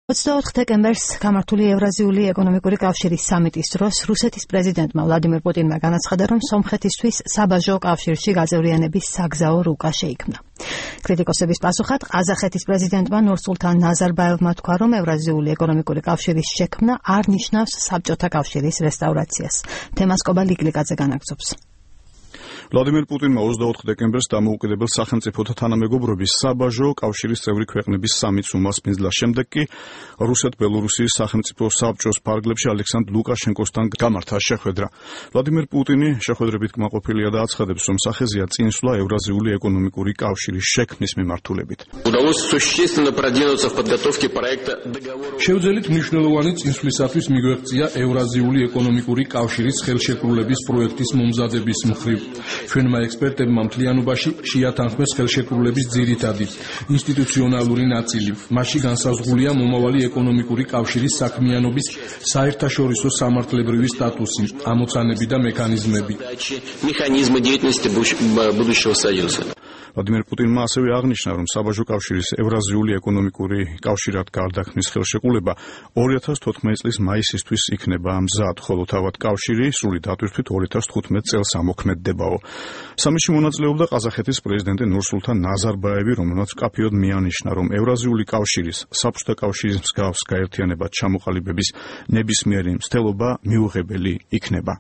24 დეკემბერს გამართული ევრაზიული ეკონომიკური კავშირის სამიტის დროს რუსეთის პრეზიდენტმა ვლადიმერ პუტინმა განაცხადა, რომ სომხეთისთვის საბაჟო კავშირში გაწევრიანების საგზაო რუკა შეიქმნა. კრიტიკოსების პასუხად ყაზახეთის პრეზიდენტმა ნურსულთან ნაზარბაევმა თქვა, რომ ევრაზიული ეკონომიკური კავშირის შექმნა არ ნიშნავს საბჭოთა კავშირის რესტავრაციას. თემას კობა ლიკლიკაძე განაგრძობს. ვლადიმერ პუტინმა 24 დეკემბერს დამოუკიდებელ სახელმწიფოთა თანამეგობრობის საბაჟო კავშირის წევრი ქვეყნების სამიტს უმასპინძლა. შემდეგ კი რუსეთ-ბელორუსიის სახელმწიფო საბჭოს ფარგლებში ალექსანდრ ლუკაშენკოსთან გამართა შეხვედრა. ვლადიმერ პუტინი შეხვედრებით კმაყოფილია და აცხადებს, რომ სახეზეა წინსვლა ევრაზიული ეკონომიკური კავშირის შექმნის მიმართულებით. შევძელით მნიშვნელოვანი წინსვლისათვის მიგვეღწია ევრაზიული ეკონომიკური კავშირის ხელშეკრულების პროექტის მომზადების მხრივ. ჩვენმა ექსპერტებმა მთლიანობაში შეათანხმეს ხელშეკრულების ძირითადი ინსტიტუციონალური ნაწილი. მასში განსაზღვრულია მომავალი ეკონომიკური კავშირის საქმიანობის საერთაშორისო სამართლებრივი სტატუსი, ამოცანები და მექანიზმები. ვლადიმერ პუტინმა ასევე აღნიშნა, რომ საბაჟო კავშირის ევრაზიული ეკონომიკური კავშირად გარდაქმნის ხელშეკრულება 2014 წლის მაისისთვის იქნება მზად, ხოლო თავად კავშირი სრული დატვირთვით 2015 წელს ამოქმედდებაო. სამიტში მონაწილეობდა ყაზახეთის პრეზიდენტი ნურსულთან ნაზარბაევი, რომელმაც მკაფიოდ მიანიშნა, რომ ევრაზიული კავშირის საბჭოთა კავშირის მსგავს გაერთიანებად ჩამოყალიბების ნებისმიერი მცდელობა მიუღებელი იქნება.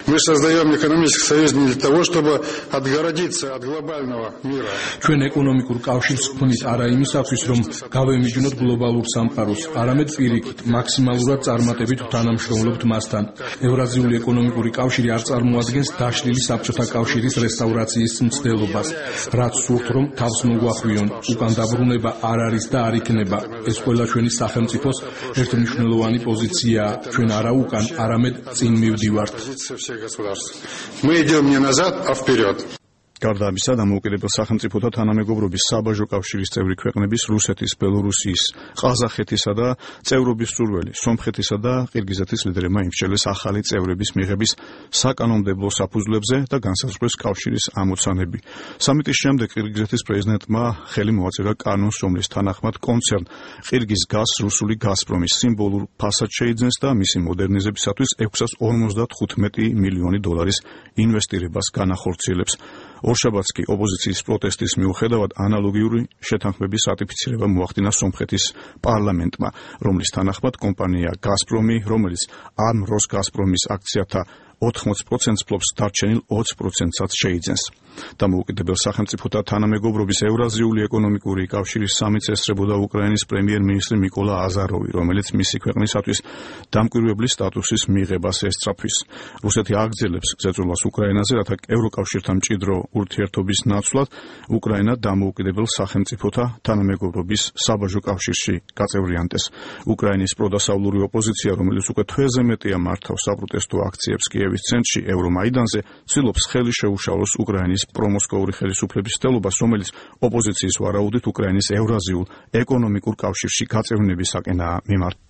Мы создаем экономический союз не для того, чтобы отгородиться от глобального мира. Ჩვენ ეკონომიკურ კავშირს ვქმნით არა იმისათვის, რომ გავემიჯნოთ გლობალურ სამყაროს, არამედ პირიქით, მაქსიმალურად წარმატებით ვთანამშრომლობთ მასთან. ევრაზიული ეკონომიკური კავშირი არ წარმოადგენს დაშლილი საბჭოთა კავშირის რესტავრაციის მცდელობას, რაც სურთ, რომ თავს მოგვახვიონ. უკან დაბრუნება არ არის და არ იქნება. ეს ყველა ჩვენი სახელმწიფოს ერთმნიშვნელოვანი პოზიციაა. ჩვენ არა უკან, არამედ წინ მივდივართ. Мы идем не назад, а вперед. გარდა ამისა, დამოუკიდებელ სახელმწიფოთა თანამეგობრობის საბაჟო კავშირის წევრი ქვეყნების რუსეთის, ბელორუსიის, ყაზახეთისა და წევრობის სურველი სომხეთისა და ყირგიზეთის ლიდერებმა იმსჯელეს ახალი წევრების მიღების საკანონმდებლო საფუძვლებზე და განსაზღვრეს კავშირის ამოცანები. სამიტის შემდეგ ყირგიზეთის პრეზიდენტმა ხელი მოაწერა კანონს, რომლის თანახმად კონცერნ ყირგიზგაზ რუსული გაზპრომის სიმბოლურ ფასად შეიძენს და მისი მოდერნიზებისათვის 655 მილიონი დოლარის ინვესტირებას განახორციელებს. ორშაბათს კი ოპოზიციის პროტესტის მიუხედავად ანალოგიური შეთანხმების რატიფიცირება მოახდინა სომხეთის პარლამენტმა, რომლის თანახმად კომპანია გაზპრომი, რომელიც ამ როსგაზპრომის აქციათა 80%-ს ფლობს, დარჩენილ 20%-საც შეიძენს. დამოუკიდებელ სახელმწიფოთა თანამეგობრობის ევრაზიული ეკონომიკური კავშირის სამიტს ესწრებოდა უკრაინის პრემიერ-მინისტრი მიკოლა აზაროვი, რომელიც მისი ქვეყნისათვის დამკვირვებლის სტატუსის მიღებას ესწრაფვის. რუსეთი აგრძელებს ზეწოლას უკრაინაზე, რათა ევროკავშირთან მჭიდრო ურთიერთობის ნაცვლად უკრაინა დამოუკიდებელ სახელმწიფოთა თანამეგობრობის საბაჟო კავშირში გაწევრიანდეს. უკრაინის პროდასავლური ოპოზიცია, რომელიც უკვე თვეზე მეტია მართავს საპროტესტო აქციებს კიევის ცენტრში ევრომაიდანზე, ცდილობს ხელი შეუშალოს უკრაინის პრომოსკოვური ხელისუფლების მცდელობას, რომელიც ოპოზიციის ვარაუდით უკრაინის ევრაზიულ ეკონომიკურ კავშირში გაწევრიანებისაკენაა მიმართული.